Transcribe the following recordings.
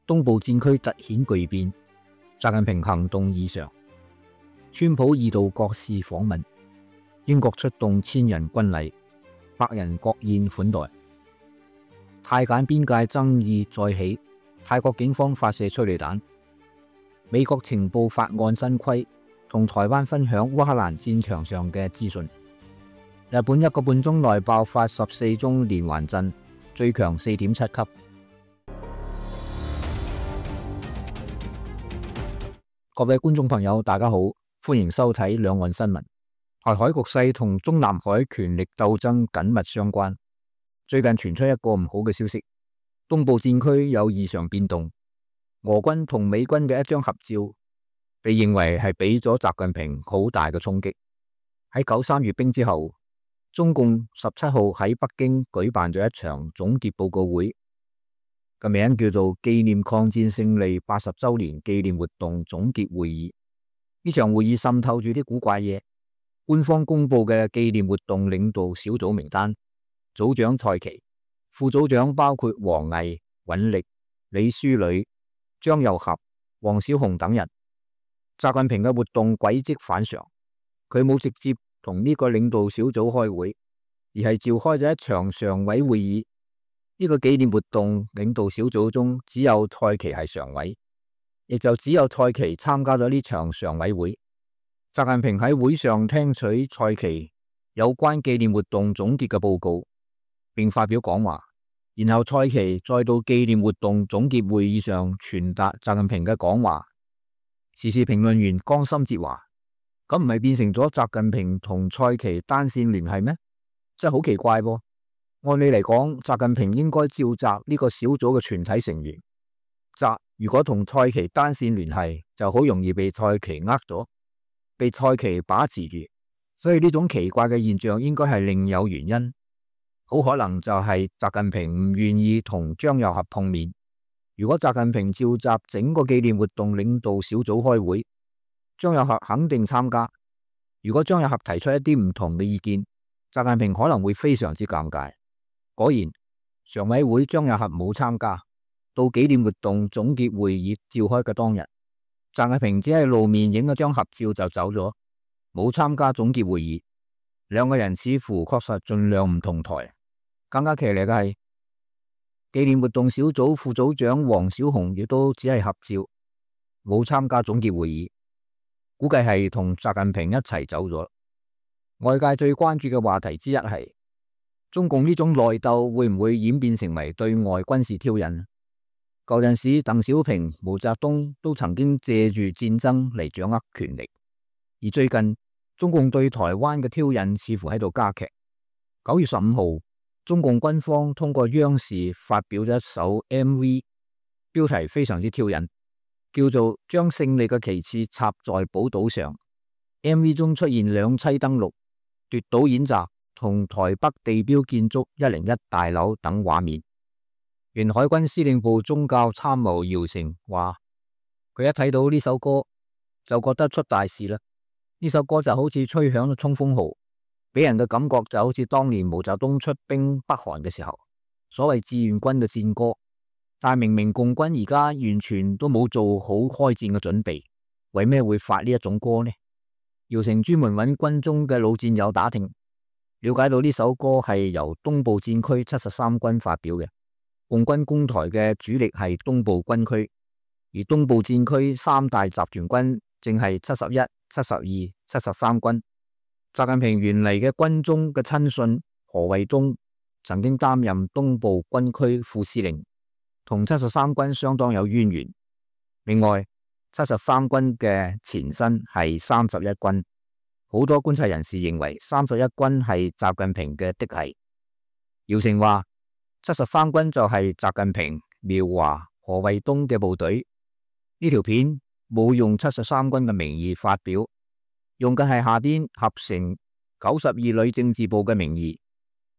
東部戰區突顯巨變，習近平行動異常。川普二度國事訪問，英國出動1000人軍禮，百人國宴款待。泰柬邊界爭議再起，泰國警方發射催淚彈。美國情報法案新規，同台灣分享烏克蘭戰場上嘅資訊。日本1個半鐘內爆發14宗連環震，最強4.7級。各位觀眾朋友，大家好，歡迎收睇兩岸新聞。台海局勢同中南海權力鬥爭緊密相關。最近傳出一個唔好嘅消息，東部戰區有異常變動。俄軍同美軍嘅一張合照，被認為係俾咗習近平好大嘅衝擊。喺93閱兵之後，中共17號喺北京舉辦咗一場總結報告會，個名叫做紀念抗戰勝利80周年紀念活動總結會議。呢場會議滲透住啲古怪嘢。官方公布嘅紀念活動領導小組名單，組長蔡奇，副組長包括王毅、尹力、李書磊、張又俠、黃小紅等人。習近平嘅活動軌跡反常，佢冇直接同呢個領導小組開會，而係召開咗一場常委會議。呢個紀念活動領導小組中只有蔡奇係常委，亦就只有蔡奇參加咗呢場常委會。習近平喺會上聽取蔡奇有關紀念活動總結嘅報告，並發表講話，然後蔡奇再到紀念活動總結會議上傳達習近平嘅講話。時事評論員江心哲話：咁唔係變成咗習近平同蔡奇單線聯繫咩？真係好奇怪噃。按理嚟講，習近平應該召集呢個小組嘅全體成員。習如果同蔡奇單線聯繫，就好容易被蔡奇呃咗，被蔡奇把持住。所以呢種奇怪嘅現象應該係另有原因，好可能就係習近平唔願意同張又俠碰面。如果習近平召集整個紀念活動領導小組開會，張又俠肯定參加。如果張又俠提出一啲唔同嘅意見，習近平可能會非常之尷尬。果然，常委會張又俠冇參加。到紀念活動總結會議召開嘅當日，習近平只係露面影咗張合照就走咗，冇參加總結會議。兩個人似乎確實盡量唔同台。更加騎呢嘅係，紀念活動小組副組長黃小紅亦都只係合照，冇參加總結會議，估計係同習近平一齊走咗。外界最關注嘅話題之一係，中共呢種內鬥會唔會演變成為對外軍事挑釁？舊陣時，鄧小平、毛澤東都曾經借住戰爭嚟掌握權力，而最近中共對台灣嘅挑釁似乎喺度加劇。9月15號，中共軍方通過央視發表咗一首 MV， 標題非常之挑釁，叫做將勝利嘅旗幟插在寶島上。MV 中出現兩棲登陸、奪島演習同台北地標建築101大樓等畫面。原海軍司令部宗教參謀姚成話，佢一睇到呢首歌就覺得出大事啦。呢首歌就好似吹響咗衝鋒號，俾人嘅感覺就好似當年毛澤東出兵北韓嘅時候，所謂志願軍嘅戰歌。但明明共軍而家完全都冇做好開戰嘅準備，為咩會發呢一種歌呢？姚成專門揾軍中嘅老戰友打聽，了解到呢首歌係由東部戰區73軍發表嘅。共軍攻台嘅主力係東部軍區，而東部戰區三大集團軍正係71、72、73軍。習近平原嚟嘅軍中嘅親信何衛東曾經擔任東部軍區副司令，同73軍相當有淵源。另外，73軍嘅前身係31軍，好多觀察人士認為31軍係習近平嘅嫡系。姚成話73軍就係習近平、苗華、何衛東嘅部隊。呢條片冇用73軍嘅名義發表，用嘅係下邊合成92旅政治部嘅名義。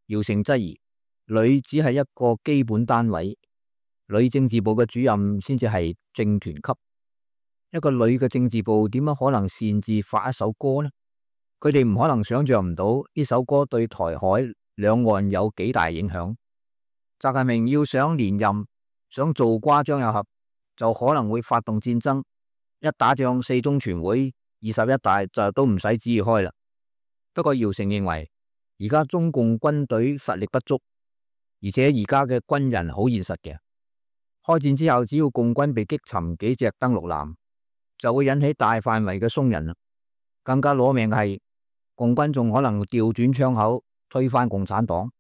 姚成質疑，旅只係一個基本單位，旅政治部嘅主任先至係政團級。一個旅嘅政治部點樣可能擅自發一首歌呢？佢哋唔可能想象唔到呢首歌對台海兩岸有幾大影響。習近平要想連任，想做瓜張又俠，就可能會發動戰爭。一打仗，四中全會、21大就都唔使旨意開啦。不過姚成認為，而家中共軍隊實力不足，而且而家嘅軍人好現實嘅。開戰之後，只要共軍被擊沉幾隻登陸艦，就會引起大範圍嘅鬆人。更加攞命嘅係，共軍仲可能調轉槍口推翻共產黨。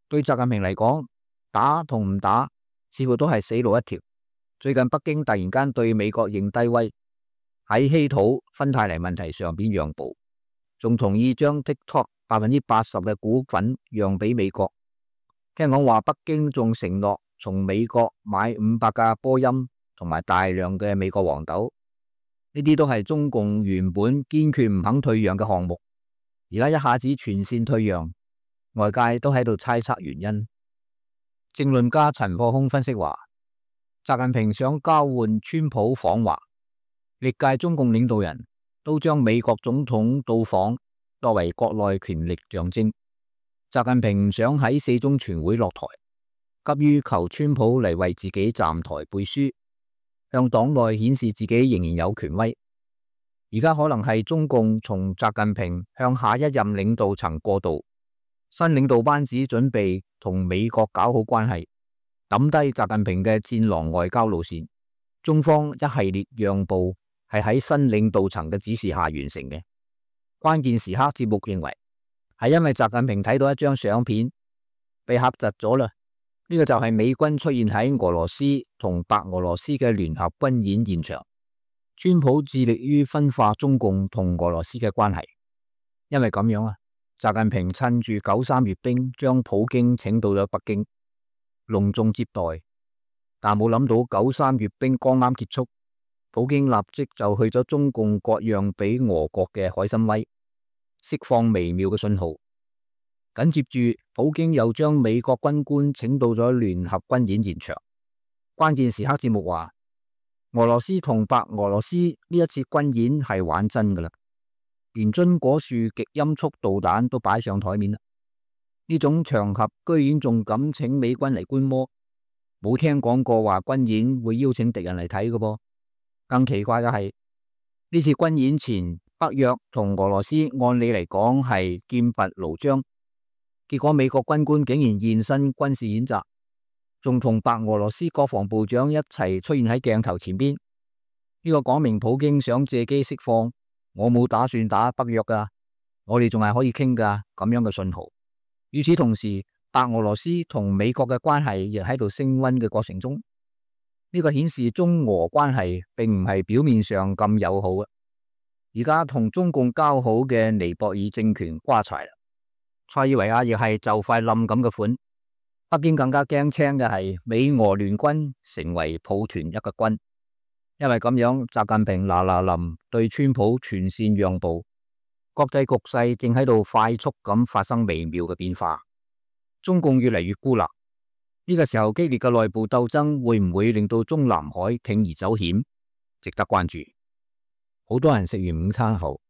對習近平嚟講，打同唔打似乎都係死路一條。最近北京突然間對美國認低威，喺稀土芬太尼問題上邊讓步，仲同意將 TikTok 80%嘅股份讓俾美國。聽講話北京仲承諾從美國買500架波音同埋大量嘅美國黃豆，呢啲都係中共原本堅決唔肯退讓嘅項目，而家一下子全線退讓，外界都喺度猜測原因。政論家陳破空分析話，習近平想交換川普訪華，歷屆中共領導人都將美國總統到訪作為國內權力象徵。習近平唔想喺四中全會落台，急於求川普嚟為自己站台背書，向黨內顯示自己仍然有權威。而家可能係中共從習近平向下一任領導層過渡，新領導班子準備同美國搞好關係，抌低習近平嘅戰狼外交路線。中方一系列讓步係喺新領導層嘅指示下完成嘅。關鍵時刻節目認為係因為習近平睇到一張相片被嚇窒咗啦，呢個就係美軍出現喺俄羅斯同白俄羅斯嘅聯合軍演現場。川普致力於分化中共同俄羅斯嘅關係，因為咁樣習近平趁住93閱兵將普京請到咗北京隆重接待，但冇諗到93閱兵剛啱結束，普京立即就去咗中共割讓俾俄國嘅海參崴，釋放微妙嘅信號。緊接住普京又將美國軍官請到咗聯合軍演現場。關鍵時刻節目話，俄羅斯同白俄羅斯呢一次軍演係玩真噶啦，連榛果樹極音速導彈都擺上台面啦。呢種場合居然仲敢請美軍嚟觀摩，冇聽講過話軍演會邀請敵人嚟睇嘅噃。更奇怪嘅係，呢次軍演前，北約同俄羅斯按理嚟講係劍拔弩張，結果美國軍官竟然現身軍事演習，仲同白俄羅斯國防部長一齊出現喺鏡頭前邊。呢個講明普京想借機釋放我冇打算打北約噶，我哋仲係可以傾噶咁樣嘅信號。與此同時，白俄羅斯同美國嘅關係亦喺度升溫嘅過程中，呢個顯示中俄關係並唔係表面上咁友好啊。而家同中共交好嘅尼泊爾政權瓜柴啦，塞爾維亞亦係就快冧咁嘅款。北京更加驚青嘅係美俄聯軍成為抱團一個軍，因為咁樣習近平嗱嗱臨對川普全線讓步，國際局勢正喺度快速咁發生微妙嘅變化。中共越嚟越孤立，呢個時候激烈嘅內部鬥爭會唔會令到中南海鋌而走險，值得關注。好多人食完午餐後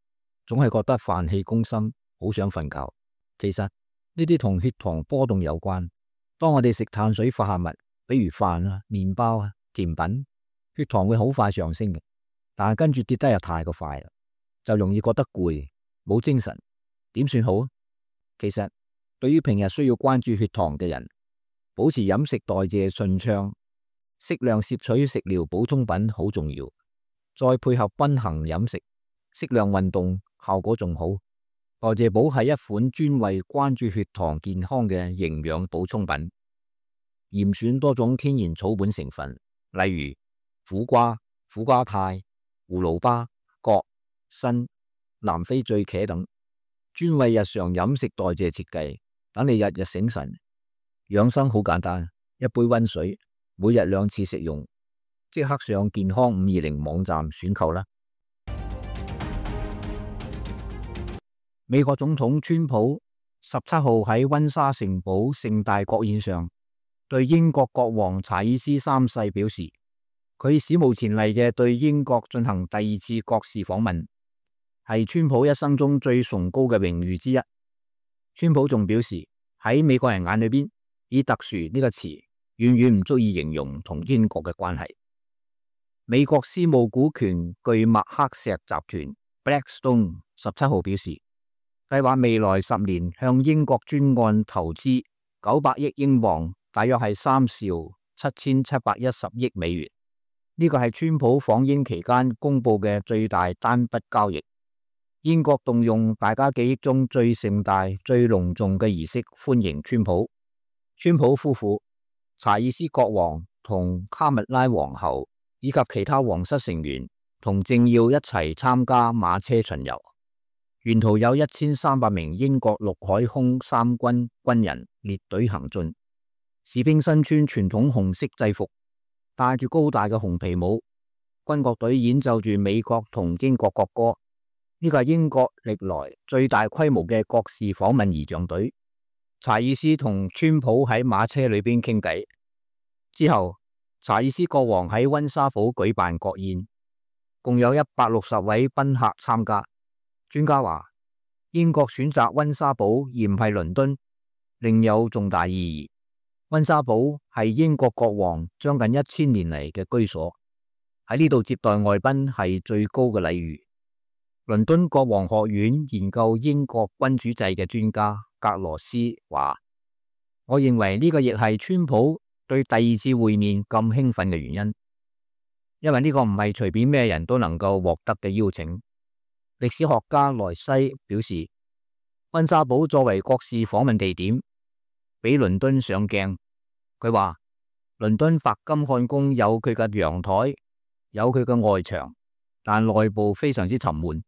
總係覺得飯氣攻心，好想瞓覺。其實呢啲同血糖波動有關。當我哋食碳水化合物，比如飯啊、麵包啊、甜品，血糖會好快上升嘅，但係跟住跌得又太過快啦，就容易覺得攰，冇精神。點算好？其實對於平日需要關注血糖嘅人，保持飲食代謝順暢，適量攝取食療補充品好重要，再配合均衡飲食、適量運動，效果仲好。代謝寶係一款專為關注血糖健康嘅營養補充品，嚴選多種天然草本成分，例如苦瓜、苦瓜肽、葫蘆巴、葛、參、南非醉茄等，專為日常飲食代謝設計，等你日日醒神。養生好簡單，一杯溫水，每日2次食用，即刻上健康520網站選購啦。美國總統川普17號喺溫莎城堡盛大國宴上，對英國國王查爾斯3世表示，佢史無前例嘅對英國進行第2次國事訪問，係川普一生中最崇高嘅榮譽之一。川普仲表示，喺美國人眼裏邊，以特殊呢個詞遠遠唔足以形容同英國嘅關係。美國私募股權巨麥克錫集團 Blackstone 17號表示，計劃未來10年向英國專案投資900億英鎊，大約係3兆7710億美元。呢個係川普訪英期間公佈嘅最大單筆交易。英國動用大家記憶中最盛大、最隆重嘅儀式歡迎川普。川普夫婦、查爾斯國王同卡蜜拉皇后以及其他皇室成員同政要一齊參加馬車巡遊。沿途有1300名英國陸海空三軍軍人列隊行進，士兵身穿傳統紅色制服，戴住高大嘅紅皮帽，軍樂隊演奏住美國同英國國歌。呢個係英國歷來最大規模嘅國事訪問儀仗隊。查爾斯同川普喺馬車裏邊傾偈之後，查爾斯國王喺溫莎堡舉辦國宴，共有160位賓客參加。專家話，英國選擇溫莎堡而唔係倫敦，另有重大意義。溫莎堡係英國國王將近1000年嚟嘅居所，喺呢度接待外賓係最高嘅禮遇。倫敦國王學院研究英國君主制嘅專家格羅斯話，我認為呢個亦係川普對第2次會面咁興奮嘅原因，因為呢個唔係隨便咩人都能夠獲得嘅邀請。歷史學家萊西表示，溫莎堡作為國事訪問地點，比倫敦上鏡。佢話，倫敦白金漢宮有佢嘅陽台，有佢嘅外牆，但內部非常之沉悶。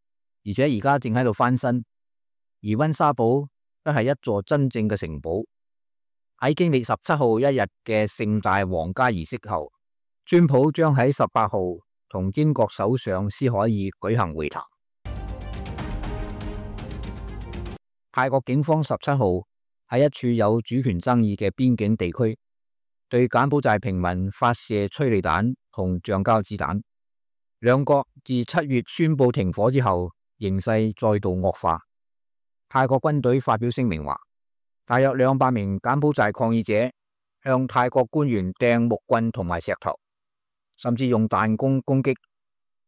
而且而家正喺度翻新，而溫莎堡都係一座真正嘅城堡。喺經歷17號一日嘅盛大皇家儀式後，川普將喺18號同英國首相斯凱爾舉行會談。泰國警方17號喺一處有主權爭議嘅邊境地區，對柬埔寨平民發射催淚彈同橡膠子彈。兩國自7月宣布停火之後，形勢再度惡化。泰國軍隊發表聲明話，大約200名柬埔寨抗議者向泰國官員掟木棍同埋石頭，甚至用彈弓攻擊，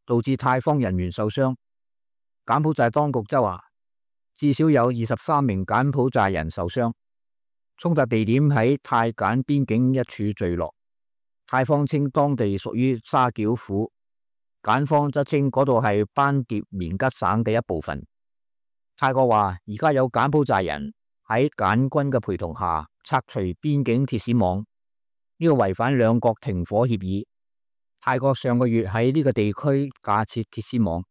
導致泰方人員受傷。柬埔寨當局則話，至少有23名柬埔寨人受傷。衝突地點喺泰柬邊境一處聚落，泰方稱當地屬於沙繳府，柬方則稱嗰度係班迭棉吉省嘅一部分。泰國話，而家有柬埔寨人喺柬軍嘅陪同下拆除邊境鐵絲網，呢個違反兩國停火協議。泰國上個月喺呢個地區架設鐵絲網。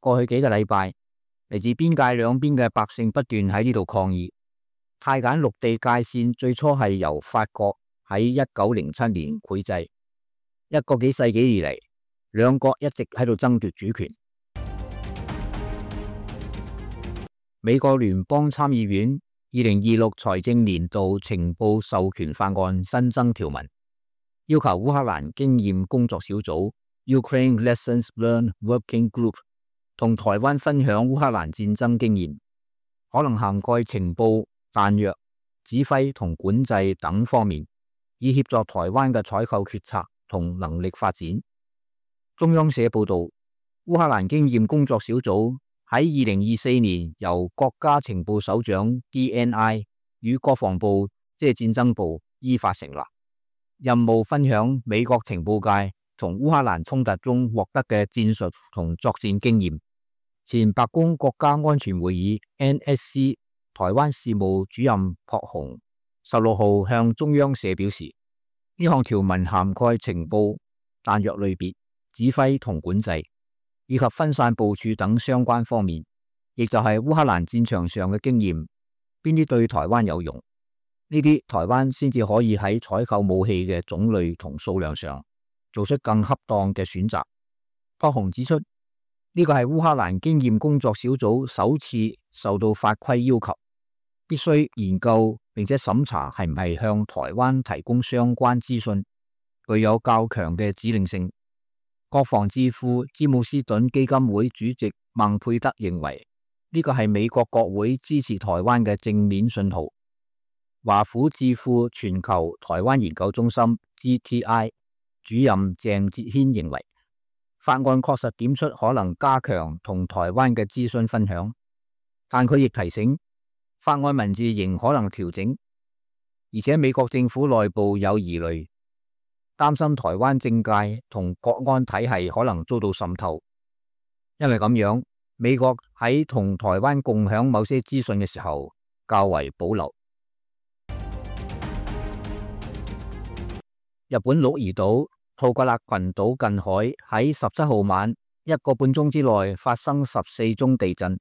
過去幾個禮拜，嚟自邊界兩邊嘅百姓不斷喺呢度抗議。泰柬陸地界線最初係由法國喺1907年繪製，一個幾世紀以嚟，兩國一直喺度爭奪主權。美國聯邦參議院2026財政年度情報授權法案新增條文，要求烏克蘭經驗工作小組 Ukraine Lessons Learned Working Group 同台灣分享烏克蘭戰爭經驗，可能涵蓋情報、彈藥、指揮同管制等方面，以協助台灣嘅採購決策同能力發展。中央社報道，烏克蘭經驗工作小組喺2024年由國家情報首長 DNI 與國防部即係戰爭部依法成立，任務分享美國情報界從烏克蘭衝突中獲得嘅戰術同作戰經驗。前白宮國家安全會議 NSC 台灣事務主任朴鴻16號向中央社表示，呢項條文涵蓋情報、彈藥類別、指揮同管制，以及分散部署等相關方面，亦就係烏克蘭戰場上嘅經驗，邊啲對台灣有用，呢啲台灣先至可以喺採購武器嘅種類同數量上做出更恰當嘅選擇。朴鴻指出，呢個係烏克蘭經驗工作小組首次受到法規要求，必須研究並且審查係唔係向台灣提供相關資訊，具有較強嘅指令性。國防智庫詹姆斯頓基金會主席孟佩德認為，呢個係美國國會支持台灣嘅正面信號。華府智庫全球台灣研究中心 GTI 主任鄭哲軒認為，法案確實點出可能加強同台灣嘅資訊分享，但佢亦提醒法案文字仍可能調整，而且美國政府內部有疑慮，擔心台灣政界同國安體系可能遭到滲透。因為咁樣，美國喺同台灣共享某些資訊嘅時候較為保留。日本鹿兒島吐格勒群島近海喺17號晚1個半鐘之內發生14宗地震，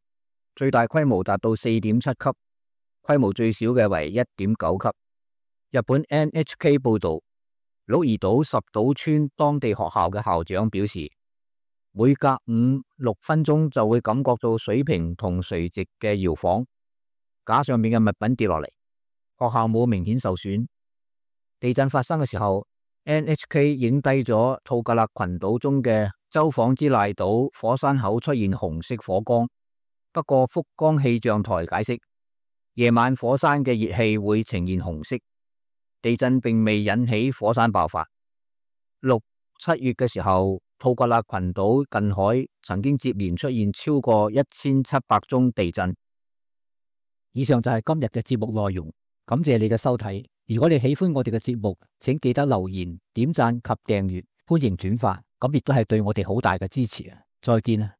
最大規模達到4.7級，規模最小嘅為1.9級。日本 NHK 報道，鹿兒島十島村當地學校嘅校長表示，每隔5-6分鐘就會感覺到水平同垂直嘅搖晃，架上面嘅物品跌落嚟，學校冇明顯受損。地震發生嘅時候，NHK 影低咗吐格勒群島中嘅洲幌之瀨島火山口出現紅色火光，不過福岡氣象台解釋，夜晚火山嘅熱氣會呈現紅色，地震並未引起火山爆發。6、7月嘅時候，吐格勒群島近海曾經接連出現超過1700宗地震。以上就係今日嘅節目內容，感謝你嘅收睇。如果你喜歡我哋嘅節目，請記得留言、點讚及訂閱，歡迎轉發，咁亦都係對我哋好大嘅支持啊！再見啊！